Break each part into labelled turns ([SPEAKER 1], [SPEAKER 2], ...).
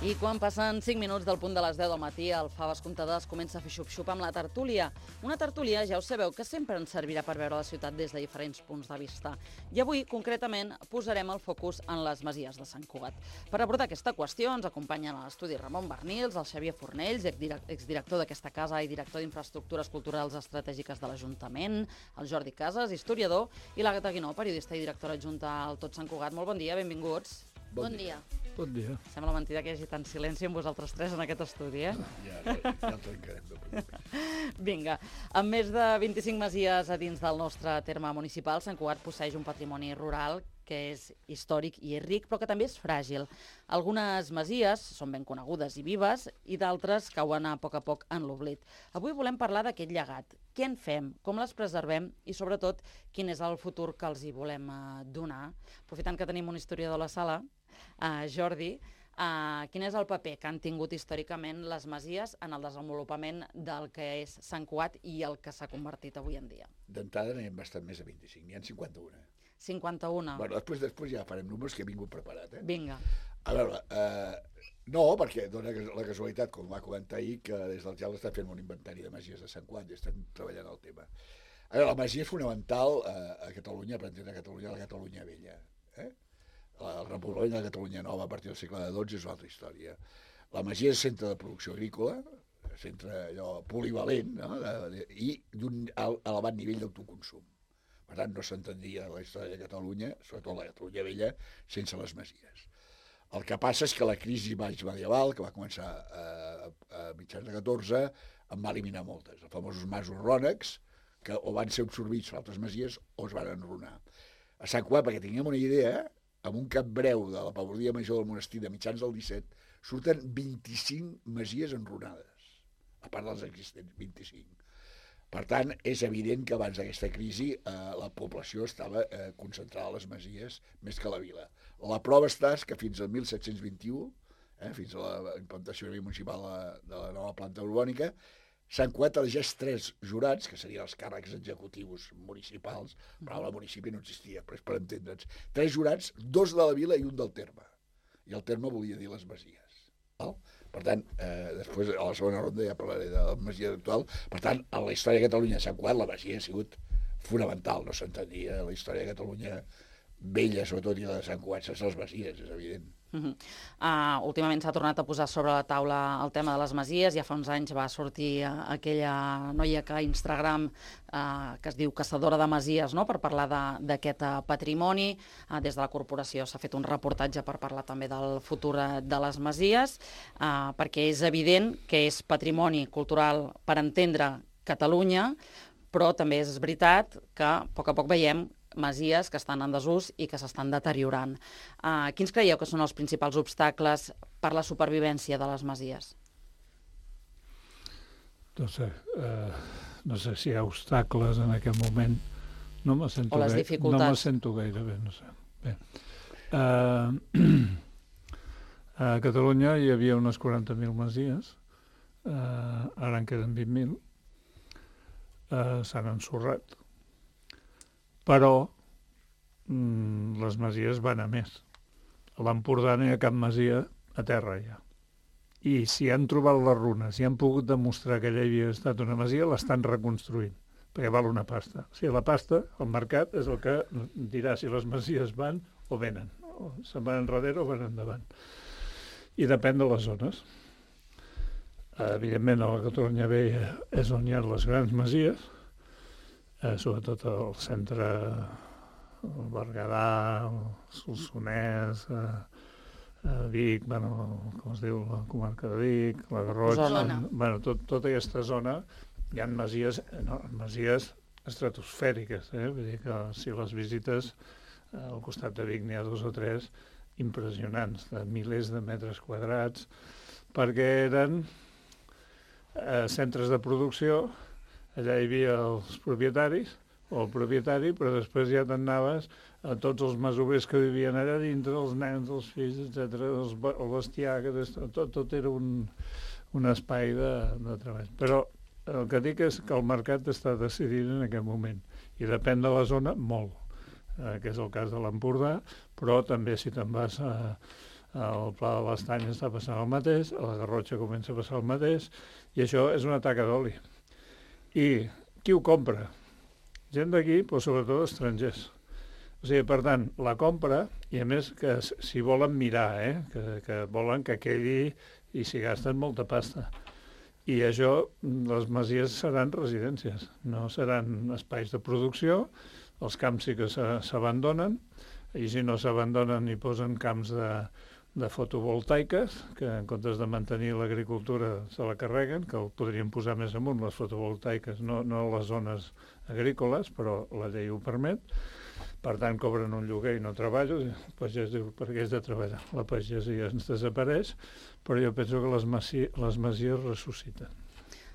[SPEAKER 1] I quan passen 5 minuts del punt de les 10 del matí, el Faves Comptades comença a fer xup-xup amb la tertúlia. Una tertúlia, ja ho sabeu, que sempre ens servirà per veure la ciutat des de diferents punts de vista. I avui, concretament, posarem el focus en les masies de Sant Cugat. Per abordar aquesta qüestió ens acompanyen a l'estudi Ramon Bernils, el Xavier Fornells, exdirector d'aquesta casa i director d'Infraestructures Culturals Estratègiques de l'Ajuntament, el Jordi Casas, historiador, i l'Àgata Guinó, periodista i directora adjunta al Tot Sant Cugat. Molt bon dia, benvinguts.
[SPEAKER 2] Bon dia.
[SPEAKER 3] Bon dia.
[SPEAKER 1] Sembla mentida que hi hagi tant silenci amb vosaltres tres en aquest estudi, eh?
[SPEAKER 2] Ja trencarem de primer.
[SPEAKER 1] Vinga, amb més de 25 masies a dins del nostre terme municipal, Sant Cugat posseeix un patrimoni rural que és històric i és ric, però que també és fràgil. Algunes masies són ben conegudes i vives i d'altres cauen a poc en l'oblit. Avui volem parlar d'aquest llegat. Què en fem? Com les preservem? I sobretot, quin és el futur que els hi volem donar? Aprofitant que tenim un historiador a la sala, Jordi, quin és el paper que han tingut històricament les masies en el desenvolupament del que és Sant Cugat i el que s'ha convertit avui en dia?
[SPEAKER 2] D'entrada n'hi ha bastant més de 25, n'hi ha 51.
[SPEAKER 1] 51.
[SPEAKER 2] Bueno, després ja farem números que he vingut preparat.
[SPEAKER 1] Vinga.
[SPEAKER 2] A veure, no, perquè dona la casualitat, com va comentar ahir, que des del GEL està fent un inventari de masies de Sant Cugat i estem treballant el tema. A veure, la masia és fonamental a Catalunya, per entendre Catalunya, la Catalunya vella. El repoblament de la Catalunya nova a partir del segle XII és una altra història. La masia és centre de producció agrícola, centre allò polivalent, no? I d'un elevat nivell d'autoconsum. Per tant, no s'entendria la història de Catalunya, sobretot la Catalunya vella, sense les masies. El que passa és que la crisi medieval, que va començar a mitjans de 14, en va eliminar moltes. Els famosos masos rònecs, que o van ser absorbits per altres masies o es van enrunar. A Sant Cugat, perquè tinguem una idea, amb un cap breu de la pagodia major del monestir de mitjans del 17, surten 25 masies enrunades, a part dels existents, 25. Per tant, és evident que abans d'aquesta crisi la població estava concentrada a les masies més que a la vila. La prova està que fins al 1721, fins a la implantació municipal de la nova planta urbànica, Sant Cugat elegeix 3 jurats, que serien els càrrecs executius municipals, però el municipi no existia, però és per entendre'ns. 3 jurats, 2 de la vila i un del terme. I el terme volia dir les masies. Per tant, després, a la segona ronda ja parlaré de la masia actual. Per tant, a la història de Catalunya de Sant Cugat, la masia ha sigut fonamental. No s'entenia la història de Catalunya vella, sobretot, i la de Sant Cugat sense les masies, és evident.
[SPEAKER 1] Últimament s'ha tornat a posar sobre la taula el tema de les masies. Ja fa uns anys va sortir aquella noia que a Instagram que es diu Caçadora de Masies, no?, per parlar d'aquest patrimoni. Des de la corporació s'ha fet un reportatge per parlar també del futur de les masies, perquè és evident que és patrimoni cultural per entendre Catalunya, però també és veritat que a poc veiem masies que estan en desús i que s'estan deteriorant. Quins creieu que són els principals obstacles per la supervivència de les masies?
[SPEAKER 3] No sé si hi ha obstacles en aquest moment. No me sento
[SPEAKER 1] o les dificultats.
[SPEAKER 3] No me sento gaire bé, no sé. Bé. A Catalunya hi havia unes 40.000 masies, ara en queden 20.000, s'han ensorrat. Però les masies van a més. A l'Empordà no hi ha cap masia a terra ja. I si han trobat les runes, si han pogut demostrar que allà havia estat una masia, l'estan reconstruint, perquè val una pasta. O sigui, la pasta, el mercat, és el que dirà si les masies van o venen. O se'n van enrere o van endavant. I depèn de les zones. Evidentment, a la Catalunya Vella és on hi ha les grans masies, sobretot al centre, el Berguedà, el Solsonès, Vic, com es diu, la comarca de Vic, la Garrotxa, tota aquesta zona hi ha masies estratosfèriques, vull dir que si les visites al costat de Vic n'hi ha 2 o 3 impressionants, de milers de metres quadrats, perquè eren centres de producció. Allà hi havia els propietaris, o el propietari, però després ja t'anaves a tots els masovers que vivien allà dintre, els nens, els fills, etc., el bestiar, tot era un espai de treball. Però el que dic és que el mercat està decidint en aquest moment, i depèn de la zona molt, que és el cas de l'Empordà, però també si te'n vas a al Pla de l'Estany està passant el mateix, a la Garrotxa comença a passar el mateix, i això és una taca d'oli. I qui ho compra? Gent d'aquí, però sobretot estrangers. O sigui, per tant, la compra, i a més que s'hi volen mirar, que volen que quedi i s'hi gasten molta pasta. I això, les masies seran residències, no seran espais de producció, els camps sí que s'abandonen, i si no s'abandonen hi posen camps de fotovoltaiques, que en comptes de mantenir l'agricultura se la carreguen, que el podrien posar més amunt, les fotovoltaiques, no a les zones agrícoles, però la llei ho permet. Per tant, cobren un lloguer i no treballo. El pagès diu, per què és de treballar? La pagesia ens desapareix, però jo penso que les masies ressusciten.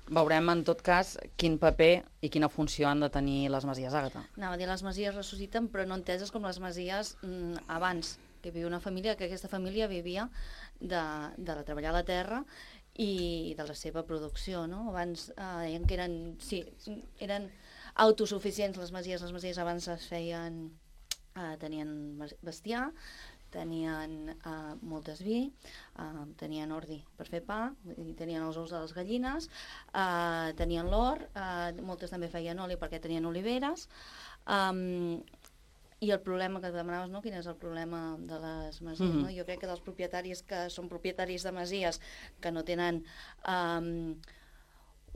[SPEAKER 1] Veurem, en tot cas, quin paper i quina funció han de tenir les masies, Àgata.
[SPEAKER 4] Anava a dir, les masies ressusciten, però no enteses com les masies abans, que hi havia una família, que aquesta família vivia de treballar a la terra i de la seva producció, no? Abans deien que eren autosuficients les masies abans es feien, tenien bestiar, tenien moltes vi, tenien ordi per fer pa, tenien els ous de les gallines, tenien l'or, moltes també feien oli perquè tenien oliveres, i el problema que demanaves, no? Quin és el problema de les masies? No? Jo crec que dels propietaris que són propietaris de masies que no tenen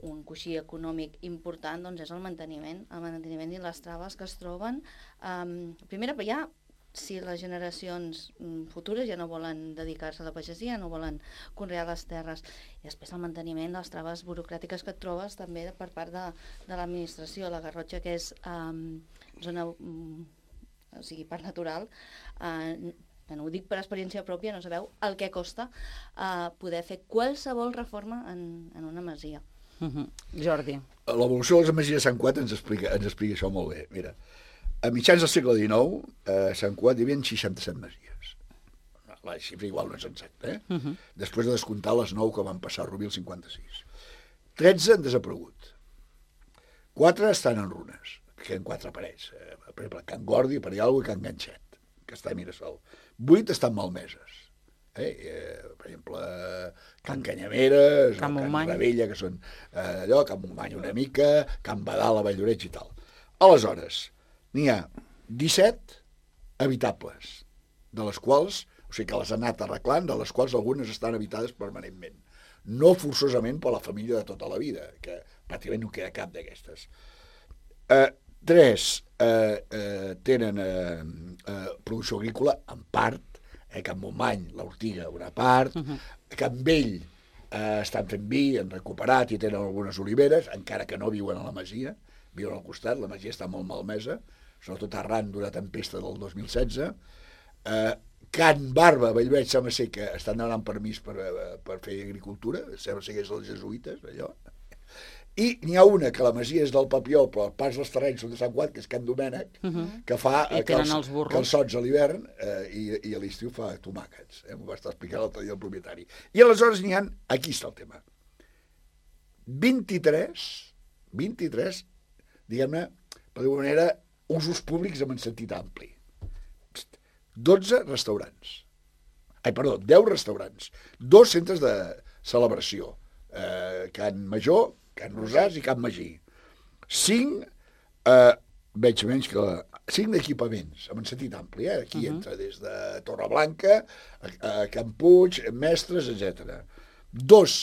[SPEAKER 4] un coixí econòmic important, doncs és el manteniment i les traves que es troben. Primera, ja, si les generacions futures ja no volen dedicar-se a la pagesia, no volen conrear les terres, i després el manteniment, les traves burocràtiques que et trobes també per part de l'administració. La Garrotxa, que és zona, o sigui, parc natural, no ho dic per experiència pròpia, no sabeu el que costa poder fer qualsevol reforma en una masia.
[SPEAKER 1] Jordi.
[SPEAKER 2] L'evolució de les masies de Sant Cugat ens explica això molt bé. Mira, a mitjans del segle XIX, a Sant Cugat hi havia 67 masies. La xifra igual no és exacta, Després de descomptar les 9 que van passar a Rubí el 56. 13 han desaparegut. 4 estan en runes, que queden 4 parets. Per exemple, Can Gordi, per allà, i Can Ganxet, que està a Mirasol. 8 estan malmeses. Per exemple, Can Canyameres, Can Rebella, que són allò, Can Montmany una mica, Can Badal, a Valldoreix i tal. Aleshores, n'hi ha 17 habitables, de les quals, o sigui que les han anat arreglant, de les quals algunes estan habitades permanentment. No forçosament per la família de tota la vida, que pràcticament no queda cap d'aquestes. 3 tenen producció agrícola, en part, Can Montmany, l'Ortiga, una part, Can Vell estan fent vi, han recuperat i tenen algunes oliveres, encara que no viuen a la masia, viuen al costat, la masia està molt malmesa, sobretot arran d'una tempesta del 2016. Can Barba, Bellveig, sembla ser que estan demanant permís per fer agricultura, sembla ser que és els jesuïtes, allò. I n'hi ha una, que la masia és del Papiol, però el pas dels terrenys són de Sant Cugat, que és Can Domènec, que fa calçots a l'hivern i a l'estiu fa tomàquets. M'ho va estar explicant l'altre dia el propietari. I aleshores n'hi ha, aquí està el tema, 23, diguem-ne, per dir-ho manera, usos públics en sentit ampli. 12 restaurants. 10 restaurants. 2 centres de celebració. Can Major, Can Rosàs i Can Magí. 5, veig menys que 5 equipaments, en sentit ampli, aquí entra des de Torreblanca, a Can Puig, Mestres, etc. 2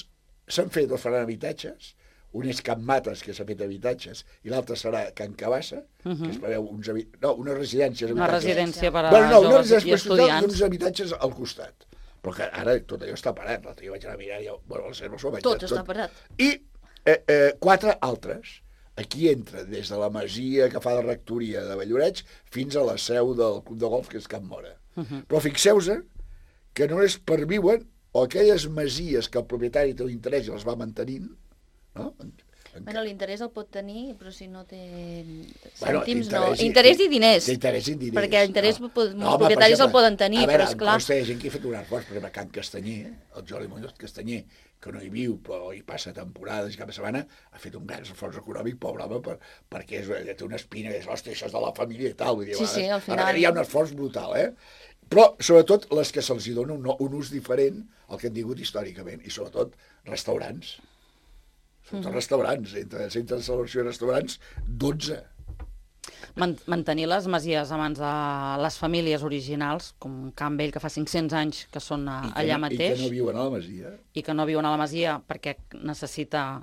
[SPEAKER 2] s'han fet o faran habitatges, un és Can Mates, que s'ha fet habitatges, i l'altre serà Can Cabassa, que es preveu una residència.
[SPEAKER 1] Una residència per a joves i estudiants.
[SPEAKER 2] I uns habitatges al costat. Però que ara tot allò està parat. L'altre dia vaig anar a mirar i
[SPEAKER 4] tot està parat.
[SPEAKER 2] I 4 altres. Aquí entra des de la masia que fa de rectoria de Valldoreix fins a la seu del club de golf, que és Can Mora. Però fixeu-vos que només perviuen o aquelles masies que el propietari té un interès i les va mantenint, no?
[SPEAKER 4] Bueno, l'interès el pot tenir, però si no té cèntims, no. Interès i diners. Perquè l'interès molts propietaris el poden tenir, però esclar.
[SPEAKER 2] A veure, hi ha gent que ha fet un esforç, per exemple, Can Castanyer, el Jordi Muñoz Castanyer, que no hi viu, però hi passa temporades i cap de setmana, ha fet un gran esforç econòmic, pobre home, perquè té una espina, és, hòstia, això és de la família i tal. Vull dir,
[SPEAKER 4] sí, al final.
[SPEAKER 2] Hi ha un esforç brutal, Però, sobretot, les que se'ls dona un ús diferent al que han tingut històricament, i sobretot restaurants. Sobretot restaurants, entre centres de celebració i restaurants, 12.
[SPEAKER 1] Mantenir les masies a mans de les famílies originals, com Can Vell, que fa 500 anys que són allà mateix.
[SPEAKER 2] I que no viuen a la masia.
[SPEAKER 1] I que no viuen a la masia perquè necessita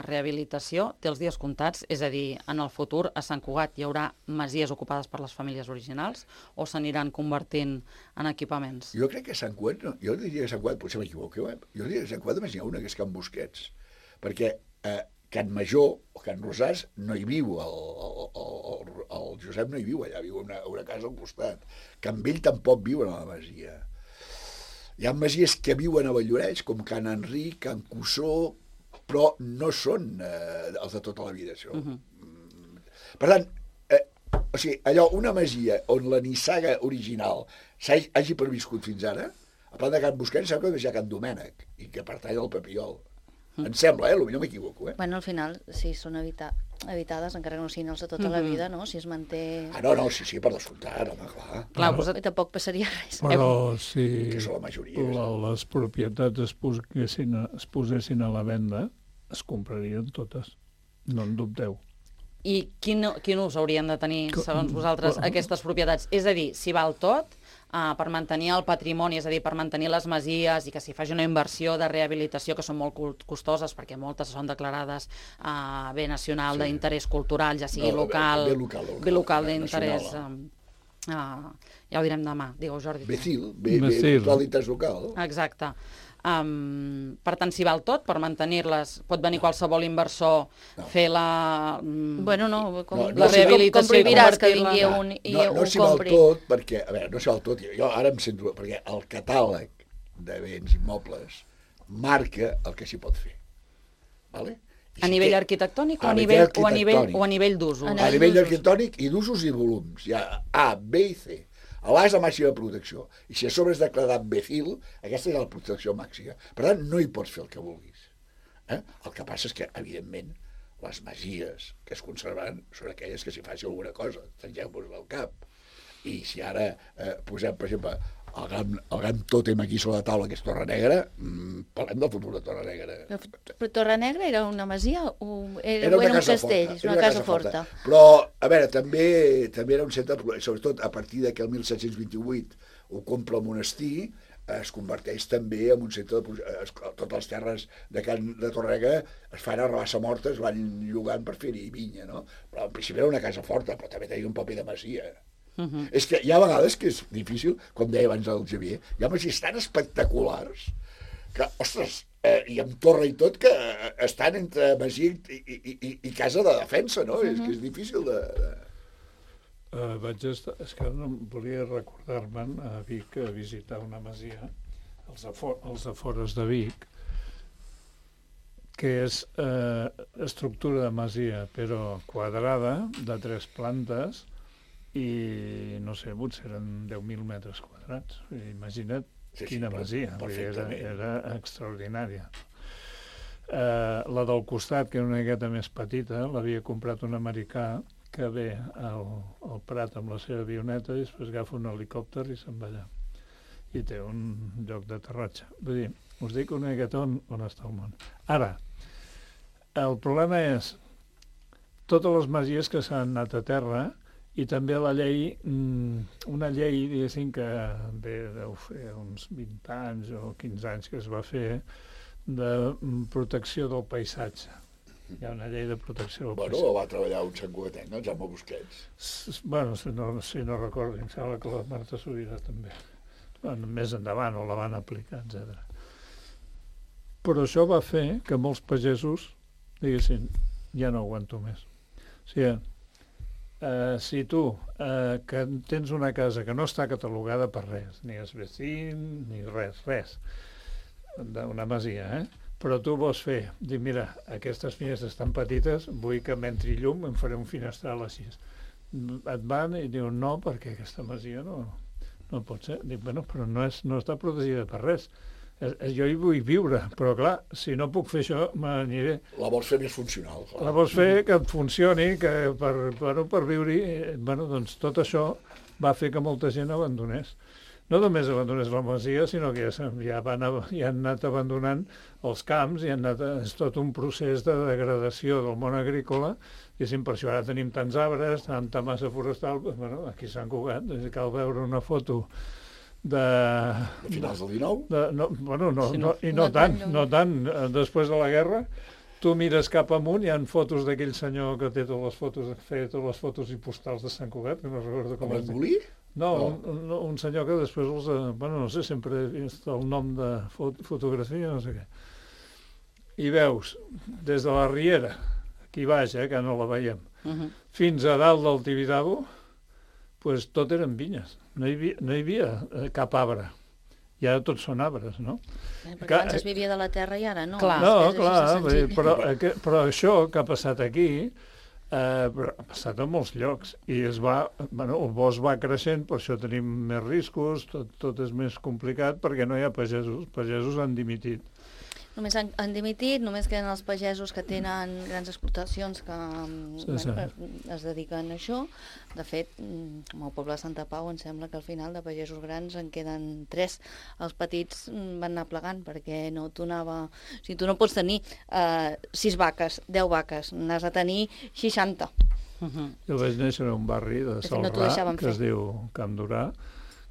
[SPEAKER 1] rehabilitació, té els dies comptats, és a dir, en el futur a Sant Cugat hi haurà masies ocupades per les famílies originals o s'aniran convertint en equipaments?
[SPEAKER 2] Jo crec que a Sant Cugat, jo diria que a Sant Cugat, potser m'equivoco, jo diria que a Sant Cugat només hi ha una, que és Can Busquets, perquè Can Major o Can Rosàs no hi viu, el Josep no hi viu allà, viu a una casa al costat. Can Vell tampoc viuen a la masia. Hi ha masies que viuen a Valldoreix, com Can Enric, Can Cussó, però no són els de tota la vida, això. Per tant, o sigui, allò, una masia on la nissaga original hagi perviscut fins ara, a part de Can Busquets, sembla que hi ha Can Domènec, i que pertany al Papiol. Em sembla, potser m'equivoco,
[SPEAKER 4] Bueno, al final, si són habitades, encara que no siguin els de tota la vida, no? Si es manté...
[SPEAKER 2] No, sí, per descomptat, home, clar.
[SPEAKER 4] I tampoc passaria res.
[SPEAKER 3] Però si
[SPEAKER 2] Que són la majoria.
[SPEAKER 3] les propietats es posessin a la venda, es comprarien totes, no en dubteu.
[SPEAKER 1] I quin ús haurien de tenir, segons vosaltres, aquestes propietats? És a dir, si val tot, per mantenir el patrimoni, és a dir, per mantenir les masies i que s'hi faci una inversió de rehabilitació, que són molt costoses, perquè moltes són declarades bé nacional d'interès cultural, ja sigui local, bé local d'interès... Ja ho direm demà, digueu, Jordi.
[SPEAKER 2] Becil, cultural d'interès local.
[SPEAKER 1] Exacte. Per tant, si val tot, per mantenir-les, pot venir qualsevol inversor, fer la...
[SPEAKER 4] Bueno, no,
[SPEAKER 1] la rehabilitació
[SPEAKER 4] com prohibiràs que vingui un i ho compri.
[SPEAKER 2] No s'hi val tot, perquè, a veure, no s'hi val tot, jo ara em sento, perquè el catàleg de béns immobles marca el que s'hi pot fer. Vale?
[SPEAKER 1] A nivell arquitectònic o a nivell d'usos?
[SPEAKER 2] A nivell arquitectònic i d'usos i volums. Hi ha A, B i C. L'A és la màxima protecció. I si a sobre és declarat Becil, aquesta és la protecció màxima. Per tant, no hi pots fer el que vulguis. El que passa és que, evidentment, les masies que es conservaran són aquelles que s'hi faci alguna cosa. Tengeu-vos al cap. I si ara posem, per exemple, el gran tòtem aquí sobre la taula, que és Torre Negra, parlem del futur de Torre Negra.
[SPEAKER 4] Però Torre Negra era una masia o era un castell, una casa forta?
[SPEAKER 2] Però, a veure, també era un centre, sobretot a partir de que el 1728 ho compra el monestir, es converteix també en un centre totes les terres de Torre Negra es fan a rabassa morta, es van llogant per fer-hi vinya, no? Però en principi era una casa forta, però també tenia un paper de masia. És que hi ha vegades que és difícil, com deia abans el Xavier, hi ha masies tan espectaculars que, ostres, i amb torre i tot, que estan entre masia i casa de defensa, no? És que és difícil de...
[SPEAKER 3] És que no volia recordar-me'n a Vic a visitar una masia, als afores de Vic, que és estructura de masia, però quadrada, de 3 plantes, i no sé, potser eren 10.000 metres quadrats. Imagina't quina masia, era extraordinària. La del costat, que era una miqueta més petita, l'havia comprat un americà que ve al Prat amb la seva avioneta i després agafa un helicòpter i se'n va allà. I té un lloc d'aterratge. Vull dir, us dic una miqueta on està el món. Ara, el problema és totes les masies que s'han anat a terra i també la llei, una llei, diguéssim, que deu fer uns 20 anys o 15 anys que es va fer de protecció del paisatge. Hi ha una llei de protecció del paisatge.
[SPEAKER 2] Bueno, va treballar un santcugatenc, el Jaume Busquets.
[SPEAKER 3] Bueno, si no recordo, em sembla que la Marta Sobirà també. Bueno, més endavant, o la van aplicar, etc. Però això va fer que molts pagesos diguessin, ja no aguanto més. O sigui, si tu que tens una casa que no està catalogada per res, ni és vecín, ni res, d'una masia, però tu vols fer, dir, mira, aquestes finestres estan petites, vull que m'entri llum, em faré un finestral així. Et van i diuen no, perquè aquesta masia no pot ser. Dic, bueno, però no està protegida per res. Jo hi vull viure, però clar, si no puc fer això, m'aniré.
[SPEAKER 2] La vols fer més funcional. Clar.
[SPEAKER 3] La vols fer que funcioni, que per viure-hi. Bueno, doncs tot això va fer que molta gent abandonés. no només abandonés la masia, sinó que ja han anat abandonant els camps i és tot un procés de degradació del món agrícola. I per això ara tenim tants arbres, tanta massa forestal. Bueno, aquí a Sant Cugat, cal veure una foto de
[SPEAKER 2] finals del 19?
[SPEAKER 3] No tant. Després de la guerra, tu mires cap amunt, hi ha fotos d'aquell senyor que té feia totes les fotos i postals de Sant Cugat, que no recordo com es diu.
[SPEAKER 2] Molí?
[SPEAKER 3] No, un senyor que després no sé, sempre he vist el nom de fotografia, no sé què. I veus, des de la Riera, aquí baix, que no la veiem, fins a dalt del Tibidabo, pues tot eren vinyes. No hi havia cap arbre. I ara tots són arbres, no?
[SPEAKER 4] Perquè abans es vivia de la terra i ara no.
[SPEAKER 3] Clar, però això que ha passat aquí ha passat a molts llocs i el bosc va creixent, per això tenim més riscos, tot és més complicat perquè no hi ha pagesos han dimitit.
[SPEAKER 4] Només han dimitit, només queden els pagesos que tenen grans explotacions que es dediquen a això. De fet, com el poble de Santa Pau, em sembla que al final de pagesos grans en queden 3. Els petits van anar plegant perquè no donava... O sigui, tu no pots tenir 6 vaques, 10 vaques, n'has de tenir 60.
[SPEAKER 3] Jo vaig néixer en un barri de Salrà, que es diu Camp Durà,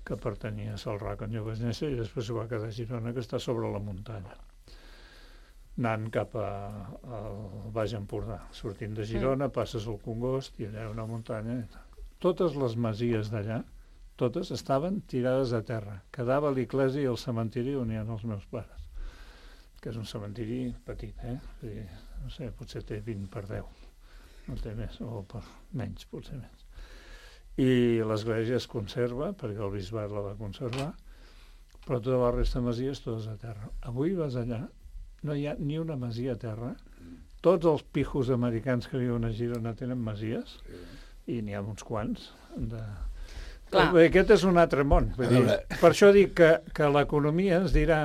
[SPEAKER 3] que pertanyia a Salrà quan jo vaig néixer, i després ho va quedar a Girona, que està sobre la muntanya, anant cap al Baix Empordà. Sortint de Girona, passes al Congost i allà hi ha una muntanya. Totes les masies d'allà, totes estaven tirades a terra. Quedava l'església i el cementiri on hi ha els meus pares, que és un cementiri petit, no sé, potser té 20 per 10, no té més, o per menys, potser més. I l'església es conserva, perquè el bisbat la va conservar, però tota la resta de masies totes a terra. Avui vas allà, no hi ha ni una masia a terra. Tots els pijos americans que viuen a Girona tenen masies, i n'hi ha uns quants. Aquest és un altre món. Per això dic que l'economia ens dirà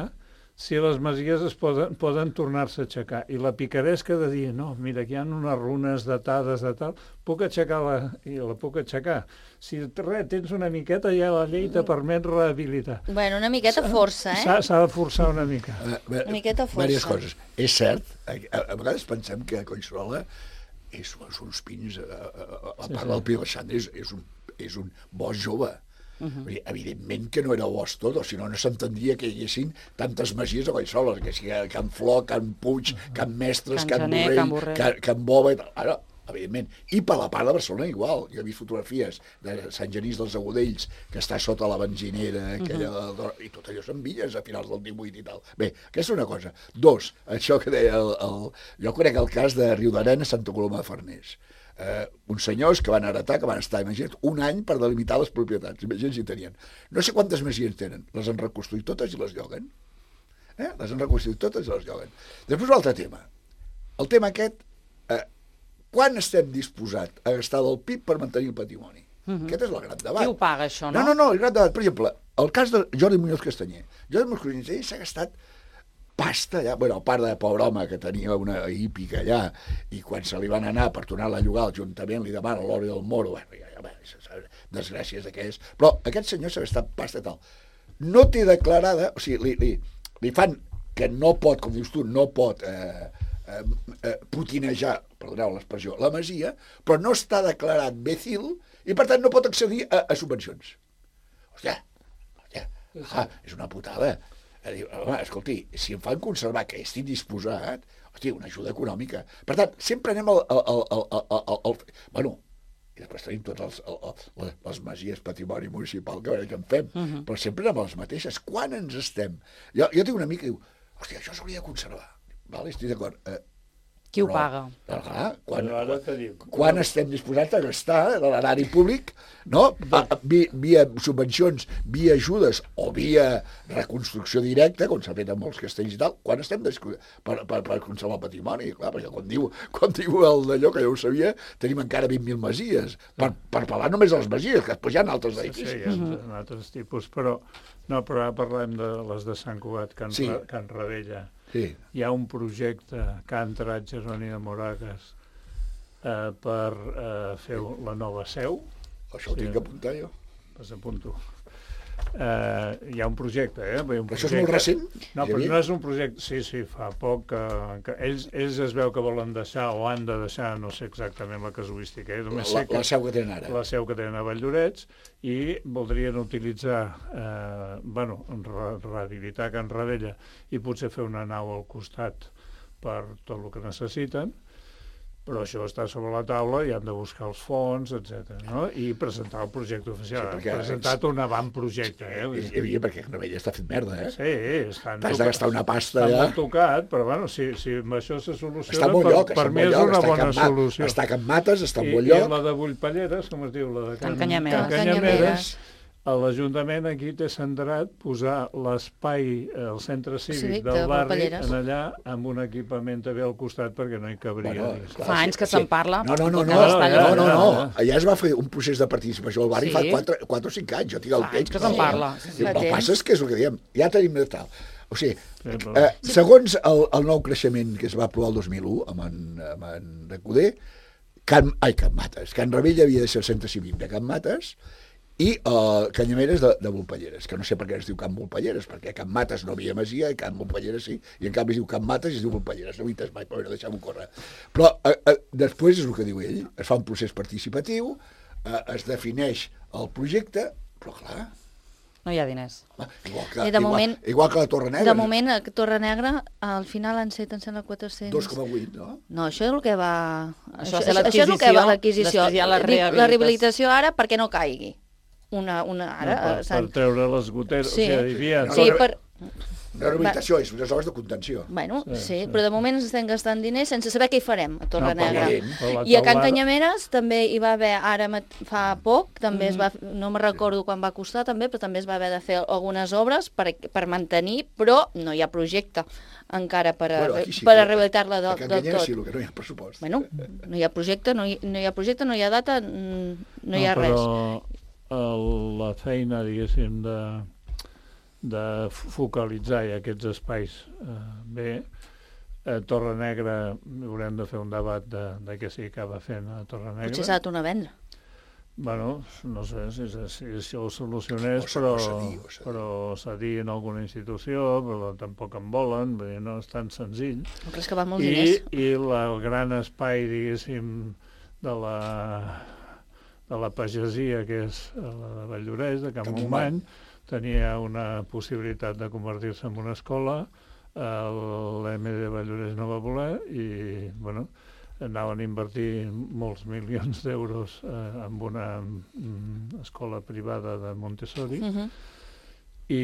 [SPEAKER 3] si les masies poden tornar-se a aixecar. I la picaresca de dir, no, mira, aquí hi ha unes runes datades de tal, puc aixecar-la, i la puc aixecar. Si tens una miqueta, ja la llei te permet rehabilitar.
[SPEAKER 4] Bueno, una miqueta força,
[SPEAKER 3] S'ha de forçar una mica.
[SPEAKER 4] Una miqueta força.
[SPEAKER 2] Diverses coses. És cert, a vegades pensem que Collserola és uns pins, a part del Pi Alexandre, és un bosc jove. Evidentment que no era bosc tot, o si no s'entendria que hi haguessin tantes masies a Collserola, que sigui Can Flor, Can Puig, Can Mestres, Can Borrell, Can Bova... Ara, evidentment. I per la part de Barcelona igual. Jo he vist fotografies de Sant Genís dels Agudells, que està sota la benzinera, i tot allò són villes a finals del 18 i tal. Bé, aquesta és una cosa. 2, això que deia jo conec el cas de Riudarenes, Santa Coloma de Farners. Uns senyors que van heretar, que van estar, imagina't, un any per delimitar les propietats. Imagina't si tenien. No sé quantes masies tenen. Les han reconstruït totes i les lloguen. Les han reconstruït totes i les lloguen. Després un altre tema. El tema aquest, quan estem disposats a gastar del PIB per mantenir el patrimoni? Aquest és el gran debat.
[SPEAKER 1] Qui ho paga, això, no?
[SPEAKER 2] No, el gran debat. Per exemple, el cas de Jordi Muñoz Castanyer. Jordi Muñoz Castanyer s'ha gastat pasta allà, a part de pobre home que tenia una hípica allà, i quan se li van anar per tornar-la a llogar, l'Ajuntament li demana l'Hora del Moro, desgràcies d'aquelles, però aquest senyor s'ha gastat pasta tal. No té declarada, o sigui, li fan que no pot, com dius tu, no pot putinejar, perdoneu l'expressió, la masia, però no està declarat becil i per tant no pot accedir a subvencions. Hòstia, és una putada. Home, escolti, si em fan conservar que estic disposat, hòstia, una ajuda econòmica. Per tant, sempre anem bueno, i després tenim totes les masies patrimoni municipal que en fem, però sempre anem a les mateixes. Quan ens estem? Jo tinc una amica que diu, hòstia, això s'hauria de conservar. Vale, estic d'acord.
[SPEAKER 1] Qui ho paga?
[SPEAKER 2] Quan estem disposats a gastar de l'erari públic, no? Via subvencions, via ajudes o via reconstrucció directa, com s'ha fet en molts castells i tal, quan estem per conservar el patrimoni? Clar, perquè quan diu el d'allò, que ja ho sabia, tenim encara 20.000 masies, per parlar només de les masies, que després hi ha altres edificis.
[SPEAKER 3] Sí, hi ha altres tipus, però ara parlem de les de Sant Cugat, Can Ravella.
[SPEAKER 2] Sí.
[SPEAKER 3] Hi ha un projecte que ha entrat Jeroni de Moragas per fer la nova seu.
[SPEAKER 2] Això ho tinc que apuntar jo.
[SPEAKER 3] Pues apunto. hi ha un projecte,
[SPEAKER 2] Però això és molt recent?
[SPEAKER 3] No, però no és un projecte... Sí, fa poc que ells es veu que volen deixar o han de deixar, no sé exactament la casuística.
[SPEAKER 2] La seu que tenen ara.
[SPEAKER 3] La seu que tenen a Valldorets i voldrien utilitzar, rehabilitar Can Ravella i potser fer una nau al costat per tot el que necessiten, però això està sobre la taula i han de buscar els fons, etc. No? I presentar el projecte oficial. Sí, han presentat un avantprojecte.
[SPEAKER 2] Perquè Can Ravella està fet merda,
[SPEAKER 3] Sí,
[SPEAKER 2] t'has de gastar una pasta
[SPEAKER 3] allà. Està molt tocat, però bueno, si amb això se soluciona,
[SPEAKER 2] està molt lloc,
[SPEAKER 3] per mi és una bona solució.
[SPEAKER 2] Està a Can Mates, està en bon lloc.
[SPEAKER 3] I la de Bullpalleres, com es diu? La de
[SPEAKER 1] Can Canyameres.
[SPEAKER 3] L'Ajuntament aquí té centrat posar l'espai, el centre cívic del barri, en allà, amb un equipament també al costat perquè no hi cabria.
[SPEAKER 1] Fa anys que se'n parla.
[SPEAKER 2] No. Allà es va fer un procés de participació al barri fa 4 o 5 anys, jo tinc el text.
[SPEAKER 1] Fa anys que se'n parla.
[SPEAKER 2] El que passa és que és el que diem, ja tenim de tal. O sigui, segons el nou creixement que es va aprovar el 2001 amb en Recoder, Can Ravella havia de ser el centre cívic de Can Mates i Canyameres de Bullpalleres, que no sé per què es diu Can Bullpalleres, perquè a Can Mates no havia masia i Can Bullpalleres sí, i en canvi es diu Can Mates i es diu Bullpalleres, no ho he entès mai, però deixem-ho córrer. Però després és el que diu ell, es fa un procés participatiu, es defineix el projecte, però clar...
[SPEAKER 1] No hi ha diners.
[SPEAKER 2] Igual que la Torre Negra.
[SPEAKER 4] De moment, a Torre Negra, al final han set, em sembla, 400...
[SPEAKER 2] 2,8, no?
[SPEAKER 4] No, això és el que va...
[SPEAKER 1] Això és l'adquisició.
[SPEAKER 4] La rehabilitació ara perquè no caigui.
[SPEAKER 3] Per treure les goteres,
[SPEAKER 4] sí.
[SPEAKER 3] O sigui,
[SPEAKER 2] la rehabilitació és unes obres de contenció.
[SPEAKER 4] Bueno, sí, però de moment ens estem gastant diners sense saber què hi farem a Torre Negra. I a Can Canyameres també hi va haver, ara fa poc, també es va, no me'n recordo quan va costar també, però també es va haver de fer algunes obres per mantenir, però no hi ha projecte encara per a rehabilitar-la del tot.
[SPEAKER 2] A Can Canyameres sí, el que no hi ha pressupost.
[SPEAKER 4] Bueno, no hi ha projecte, no hi ha data, no hi ha res.
[SPEAKER 3] Però la feina, diguéssim, de focalitzar aquests espais bé, a Torre Negra haurem de fer un debat de què s'hi acaba fent a Torre Negra.
[SPEAKER 4] Potser s'ha de tornar a vendre.
[SPEAKER 3] Bueno, no sé si ho solucionés, però cedir en alguna institució, però tampoc en volen, no és tan senzill.
[SPEAKER 4] No creus que va molts diners?
[SPEAKER 3] I el gran espai, diguéssim, de la pagesia, que és la de Valldoreix, de Can Montmany, tenia una possibilitat de convertir-se en una escola, l'EMD Valldoreix no va voler i, bueno, anaven a invertir molts milions d'euros en una escola privada de Montessori i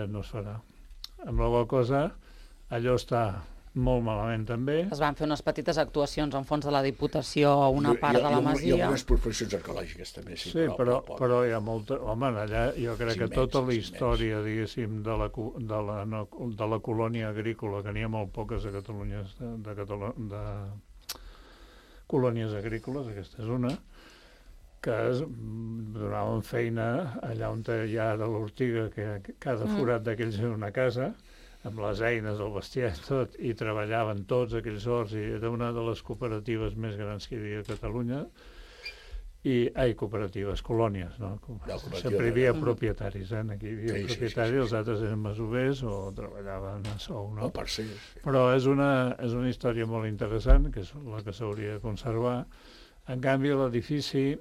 [SPEAKER 3] no es farà. Amb la qual cosa, allò està molt malament també.
[SPEAKER 1] Es van fer unes petites actuacions en fons de la Diputació a una part de la masia.
[SPEAKER 2] I algunes professions arqueològiques també, sí.
[SPEAKER 3] Sí, però hi ha molta... Home, allà jo crec que tota la història, diguéssim, de la colònia agrícola, que n'hi ha molt poques a Catalunya, de colònies agrícoles, aquesta és una, que donaven feina allà on hi ha de l'ortiga, que cada forat d'aquells era una casa, amb les eines, el bestiar i tot, i treballaven tots aquells horts, i era una de les cooperatives més grans que hi havia a Catalunya, cooperatives, colònies, no? Sempre hi havia propietaris, aquí hi havia propietaris, els altres eren masovers o treballaven a sou, no? Però és una història molt interessant, que és la que s'hauria de conservar. En canvi, l'edifici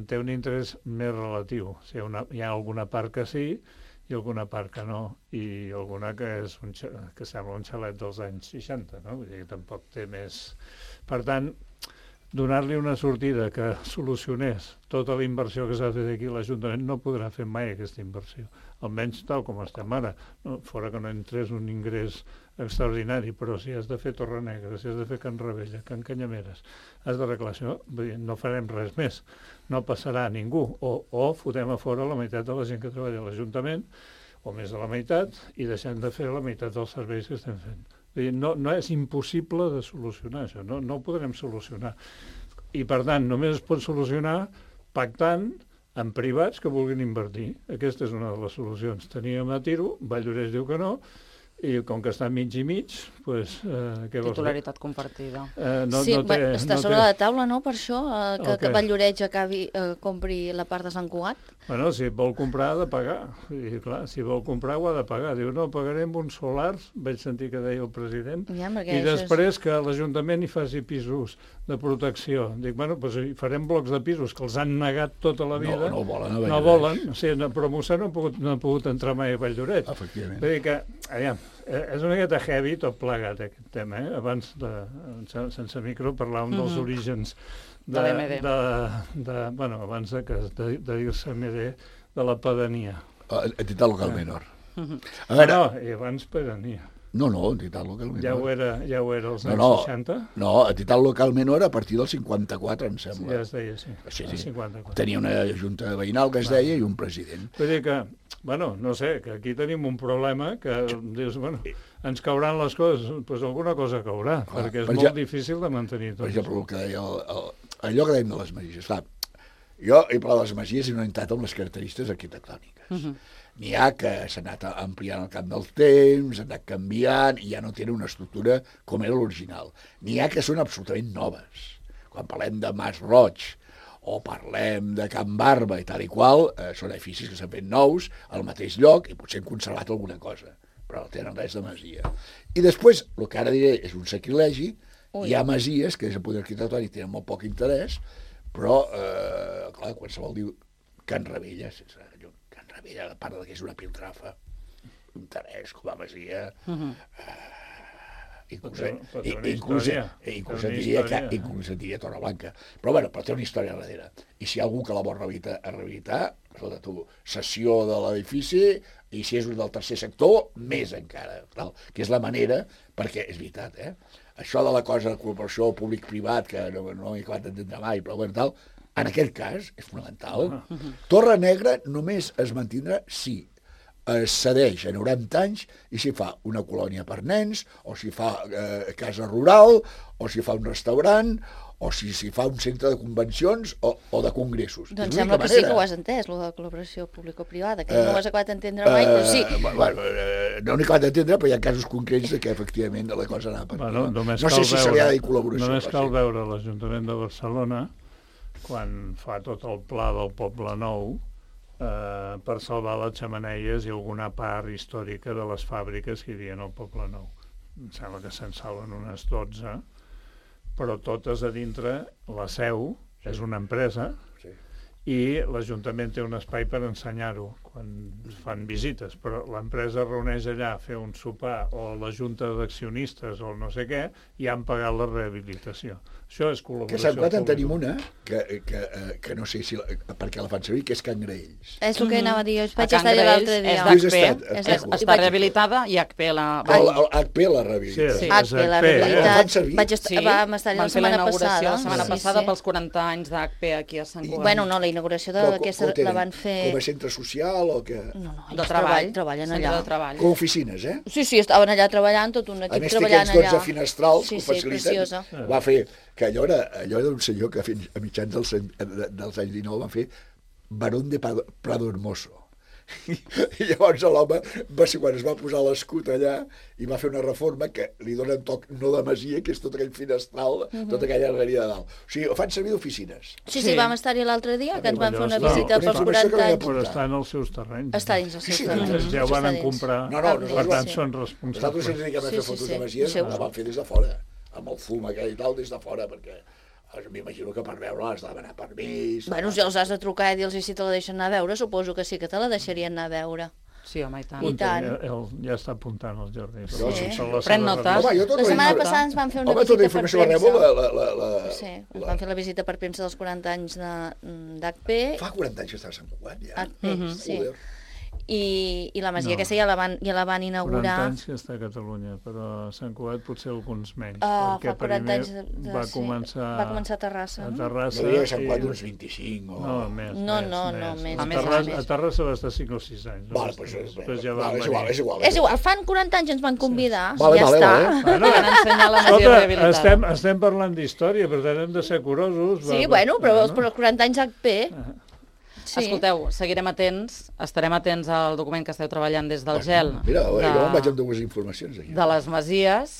[SPEAKER 3] té un interès més relatiu. O sigui, hi ha alguna part que sí, i alguna part que no, i alguna que sembla un xalet dels anys 60, no? Vull dir que tampoc té més... Per tant, donar-li una sortida que solucionés tota la inversió que s'ha fet aquí, l'Ajuntament no podrà fer mai aquesta inversió, almenys tal com estem ara, fora que no entrés un ingrés extraordinari, però si has de fer Torre Negra, si has de fer Can Ravella, Can Canyameres, has d'arreglar això, no farem res més, no passarà a ningú, o fotem a fora la meitat de la gent que treballa a l'Ajuntament, o més de la meitat, i deixem de fer la meitat dels serveis que estem fent. No és impossible de solucionar això, no ho podrem solucionar. I per tant, només es pot solucionar pactant amb privats que vulguin invertir. Aquesta és una de les solucions. Teníem a Tiro, Valldoreix diu que no, i com que està mig i mig, doncs, què vols dir?
[SPEAKER 1] Titularitat compartida.
[SPEAKER 4] Sí, està sobre la taula, no?, per això, que Vall-lloreig compri la part de Sant Cugat.
[SPEAKER 3] Bueno, si vol comprar ha de pagar. I clar, si vol comprar ho ha de pagar. Diu, no, pagarem uns solars, vaig sentir que deia el president, i després que l'Ajuntament hi faci pisos de protecció. Dic, bueno, doncs farem blocs de pisos que els han negat tota la vida.
[SPEAKER 2] No volen.
[SPEAKER 3] No volen. O sigui, però Mossèn no ha pogut entrar mai a Vall-lloreig.
[SPEAKER 2] Efectivament.
[SPEAKER 3] Vull dir que, aviam, és una miqueta heavy tot plegat, aquest tema, eh? Abans, sense micro, parlàvem dels orígens
[SPEAKER 1] de l'MD.
[SPEAKER 3] Bueno, abans de dir-se MD, de la pedania.
[SPEAKER 2] Entitat local menor.
[SPEAKER 3] No, i abans pedania.
[SPEAKER 2] No, entitat local menor.
[SPEAKER 3] Ja ho era als anys 60?
[SPEAKER 2] No, entitat local menor a partir del 54, em sembla.
[SPEAKER 3] Ja es deia, sí.
[SPEAKER 2] Sí.
[SPEAKER 3] 54.
[SPEAKER 2] Tenia una junta veïnal que es deia i un president.
[SPEAKER 3] Vull dir que, bueno, no sé, que aquí tenim un problema que dius, bueno, ens cauran les coses, doncs alguna cosa caurà, perquè és molt difícil de mantenir tot.
[SPEAKER 2] Per exemple, el que deia allò que dèiem de les masies. Clar, jo he parlat de les masies i no he entrat amb les característiques arquitectòniques. N'hi ha que s'ha anat ampliant el camp del temps, s'ha anat canviant i ja no tenen una estructura com era l'original. N'hi ha que són absolutament noves. Quan parlem de Mas Roig o parlem de Can Barba i tal i qual, són edificis que s'han fet nous al mateix lloc i potser han conservat alguna cosa, però no tenen res de masia. I després, el que ara diré és un sacrilegi. Hi ha masies que des del punt arquitectònic tenen molt poc interès, però, clar, qualsevol diu Can Ravella, Can Ravella, a part que és una piltrafa, interès com a masia, inclús et diria Torreblanca. Però té una història darrere. I si hi ha algú que la vol rehabilitar, escolta tu, cessió de l'edifici, i si és un del tercer sector, més encara, que és la manera, perquè és veritat, això de la cosa de col·laboració públic-privat, que no he acabat d'entendre mai, però bueno, tal, en aquest cas és fonamental. Torre Negra només es mantindrà si es cedeix a 90 anys i s'hi fa una colònia per nens, o s'hi fa casa rural, o s'hi fa un restaurant, o si s'hi fa un centre de convencions o de congressos.
[SPEAKER 4] Doncs sembla que sí que ho has entès, lo de col·laboració público-privada, que no ho has acabat d'entendre mai, però sí.
[SPEAKER 2] No n'he acabat d'entendre, però hi ha casos concrets que efectivament la cosa anava per aquí. No sé si se li ha de dir col·laboració.
[SPEAKER 3] Només cal veure l'Ajuntament de Barcelona, quan fa tot el pla del Poble Nou, per salvar les xemeneies i alguna part històrica de les fàbriques que hi havia al Poble Nou. Em sembla que se'n salven unes 12, però totes a dintre, la seu és una empresa i l'Ajuntament té un espai per ensenyar-ho quan fan visites, però l'empresa reuneix allà a fer un sopar o la junta d'accionistes o no sé què i han pagat la rehabilitació. Això és col·laboració.
[SPEAKER 2] Que a Sant Cugat en tenim una, que no sé si per què la fan servir, que és Can Graells.
[SPEAKER 4] És el que anava a dir, jo vaig estar-hi l'altre dia.
[SPEAKER 1] Està rehabilitada i HP la...
[SPEAKER 2] HP la rehabilita.
[SPEAKER 4] Sí, HP la rehabilitat. Vam estar-hi la setmana passada.
[SPEAKER 1] La setmana passada pels 40 anys d'HP aquí a Sant Cugat.
[SPEAKER 4] Bueno, no, la inauguració d'aquesta la van fer...
[SPEAKER 2] Com a centre social o què?
[SPEAKER 4] No, ells treballen allà.
[SPEAKER 2] Com oficines, eh?
[SPEAKER 4] Sí, estaven allà treballant, tot un equip treballant allà.
[SPEAKER 2] A més té aquests 12 finestrals que ho faciliten. Va fer que allò era un senyor que a mitjans dels anys 19 va fer Barón de Prado Hermoso. I llavors l'home va ser quan es va posar l'escut allà i va fer una reforma que li dona un toc no de masia, que és tot aquell finestral, tota aquella galeria de dalt. O sigui, ho fan servir d'oficines.
[SPEAKER 4] Sí, vam estar-hi l'altre dia, que ens van fer una visita pels 40 anys.
[SPEAKER 3] Però està en els seus terrenys.
[SPEAKER 4] Està dins els seus terrenys.
[SPEAKER 3] Ja ho van comprar, per tant són responsables.
[SPEAKER 2] Nosaltres ens dediquem a fer fotos de masies, la van fer des de fora, amb el fum aquell i tal, des de fora, perquè... M'imagino que per veure has de demanar permís...
[SPEAKER 4] Bueno, si els has de trucar i dir-los si te la deixen anar a veure, suposo que sí que te la deixarien anar a veure.
[SPEAKER 1] Sí, home, i tant.
[SPEAKER 4] I tant.
[SPEAKER 3] Ja està apuntant el Jordi.
[SPEAKER 4] Sí.
[SPEAKER 1] Pren notes.
[SPEAKER 4] La setmana passada ens van fer una visita per premsa. Sí, ens van fer la visita per premsa dels 40 anys d'HP.
[SPEAKER 2] Fa 40 anys que està a Sant Cugat, ja.
[SPEAKER 4] HP, sí. I la masia aquesta ja la van inaugurar...
[SPEAKER 3] 40 anys que està a Catalunya, però a Sant Cugat potser alguns menys.
[SPEAKER 4] Fa 40 anys
[SPEAKER 3] va començar
[SPEAKER 4] a Terrassa.
[SPEAKER 3] A Terrassa.
[SPEAKER 2] No diria que Sant Cugat uns 25 o...
[SPEAKER 3] No, més.
[SPEAKER 4] No, més.
[SPEAKER 3] A Terrassa va estar 5 o 6 anys.
[SPEAKER 2] És igual.
[SPEAKER 4] És igual, fan 40 anys ens van convidar, ja
[SPEAKER 2] està.
[SPEAKER 1] Van ensenyar la masia rehabilitada.
[SPEAKER 3] Estem parlant d'història, per tant hem de ser curosos.
[SPEAKER 4] Sí, bueno, però els 40 anys HP... Sí.
[SPEAKER 1] Escolteu, seguirem atents, estarem atents al document que esteu treballant des del GEL.
[SPEAKER 2] Mira, jo em vaig amb dues informacions aquí.
[SPEAKER 1] De les Masies,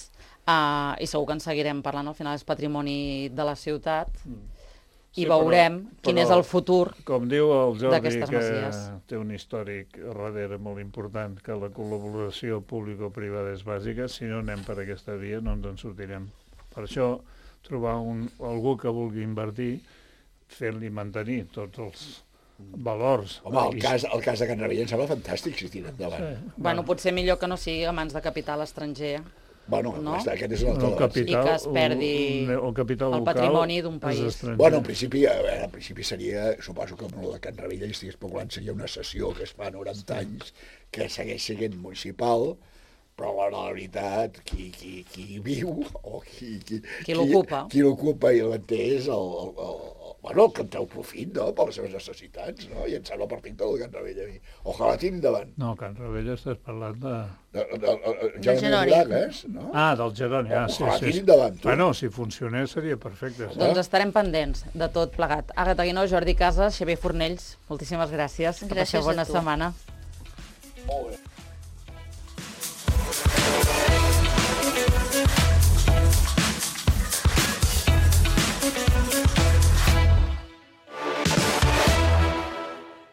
[SPEAKER 1] i segur que en seguirem parlant, al final és patrimoni de la ciutat, i veurem quin és el futur.
[SPEAKER 3] Com diu el Jordi,
[SPEAKER 1] d'aquestes
[SPEAKER 3] que
[SPEAKER 1] masies.
[SPEAKER 3] té un històric darrere molt important, que la col·laboració público-privada és bàsica, si no anem per aquesta via no ens en sortirem. Per això, trobar algú que vulgui invertir, fer-li mantenir tots els valors.
[SPEAKER 2] Home, el cas de Can Ravella em sembla fantàstic si tira endavant.
[SPEAKER 3] Sí.
[SPEAKER 1] Bueno, potser millor que no sigui a mans de capital estranger.
[SPEAKER 2] Bueno,
[SPEAKER 1] No?
[SPEAKER 2] aquest és un altre
[SPEAKER 3] El
[SPEAKER 2] debat.
[SPEAKER 1] I que es perdi
[SPEAKER 3] el capital
[SPEAKER 1] el
[SPEAKER 3] local
[SPEAKER 1] patrimoni d'un
[SPEAKER 3] és
[SPEAKER 1] país.
[SPEAKER 3] estranger.
[SPEAKER 2] Bueno, en principi seria, suposo que amb el de Can Ravella hi estic especulant, seria una sessió que es fa 90 anys, que segueix sent municipal, però a la veritat, qui viu o
[SPEAKER 1] Qui l'ocupa.
[SPEAKER 2] Qui l'ocupa i l'entén és el que en treu profit, no?, per les seves necessitats, no? I em sembla perfecte el Can Ravella a mi. Ojalà tiri endavant.
[SPEAKER 3] No, Can Ravella estàs parlant de...
[SPEAKER 2] Jeroni Moragas, no?
[SPEAKER 3] Ah, del Jeroni, sí.
[SPEAKER 2] Ojalà tiri endavant, tu.
[SPEAKER 3] Bueno, si funcionés seria perfecte. Sí.
[SPEAKER 1] Doncs estarem pendents de tot plegat. Àgata Guinó, Jordi Casas, Xavier Fornells, moltíssimes gràcies. Que
[SPEAKER 4] Gràcies
[SPEAKER 1] passeu bona
[SPEAKER 4] a tu.
[SPEAKER 1] setmana.
[SPEAKER 2] Molt bé.